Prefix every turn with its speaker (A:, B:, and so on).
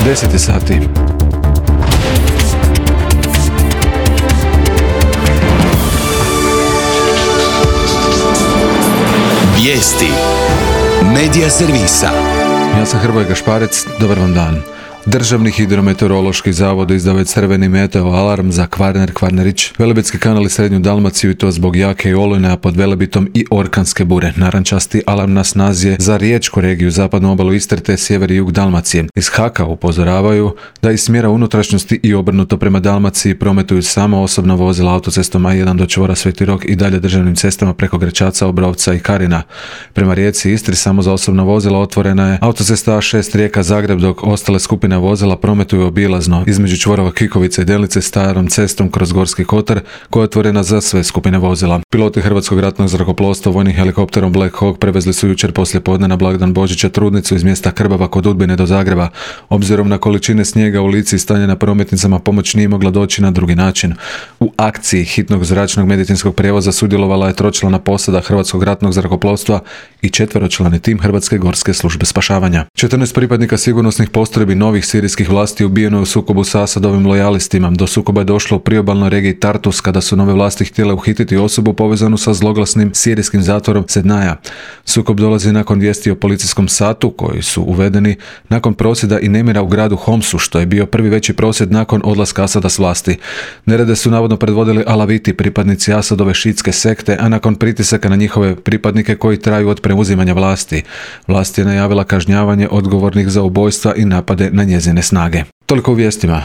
A: 10 sati.
B: Vijesti Medija servisa.
A: Ja sam Hrvoje Gašparec, dobar vam dan. Državni hidrometeorološki zavod izdao je crveni meteo alarm za Kvarner, Kvarnerić, Velebitski kanal i Srednju Dalmaciju i to zbog jake i olujne, a pod Velebitom i orkanske bure. Narančasti alarm na snazi je za riječku regiju, zapadnu obalu Istre te sjever i jug Dalmacije. Iz HAK-a upozoravaju da iz smjera unutrašnjosti i obrnuto prema Dalmaciji prometuju samo osobna vozila autocestom A1 do čvora Sveti Rok i dalje državnim cestama preko Grečaca, Obrovca i Karina. Prema rijeci Istri samo za osobna vozila otvorena je autocesta A6 Rijeka-Zagreb, dok ostale skupine vozila prometuju obilazno između čvorova Kikovice i Delnice starom cestom kroz Gorski kotar koja je otvorena za sve skupine vozila. Piloti Hrvatskog ratnog zrakoplovstva vojnim helikopterom Black Hawk prevezli su jučer poslijepodne na blagdan Božića trudnicu iz mjesta Krbava kod Udbine do Zagreba. Obzirom na količine snijega u Lici i stanje na prometnicama pomoć nije mogla doći na drugi način. U akciji hitnog zračnog medicinskog prijevoza sudjelovala je tročlana posada Hrvatskog ratnog zrakoplovstva i četveročlani tim Hrvatske gorske službe spašavanja. 14 pripadnika sigurnosnih postrojbi novih sirijskih vlasti ubijeno je u sukobu sa Asadovim lojalistima. Do sukoba je došlo u priobalnoj regiji Tartus kada su nove vlasti htjele uhititi osobu povezanu sa zloglasnim sirijskim zatvorom Sednaja. Sukob dolazi nakon vijesti o policijskom satu koji su uvedeni nakon prosvjeda i nemira u gradu Homsu, što je bio prvi veći prosvjed nakon odlaska Asada s vlasti. Nerede su navodno predvodili Alaviti, pripadnici Asadove šiitske sekte, a nakon pritisaka na njihove pripadnike koji traju od preuzimanja vlasti. Vlast je najavila kažnjavanje odgovornih za ubojstva i napade na njezine snage. Toliko u vijestima.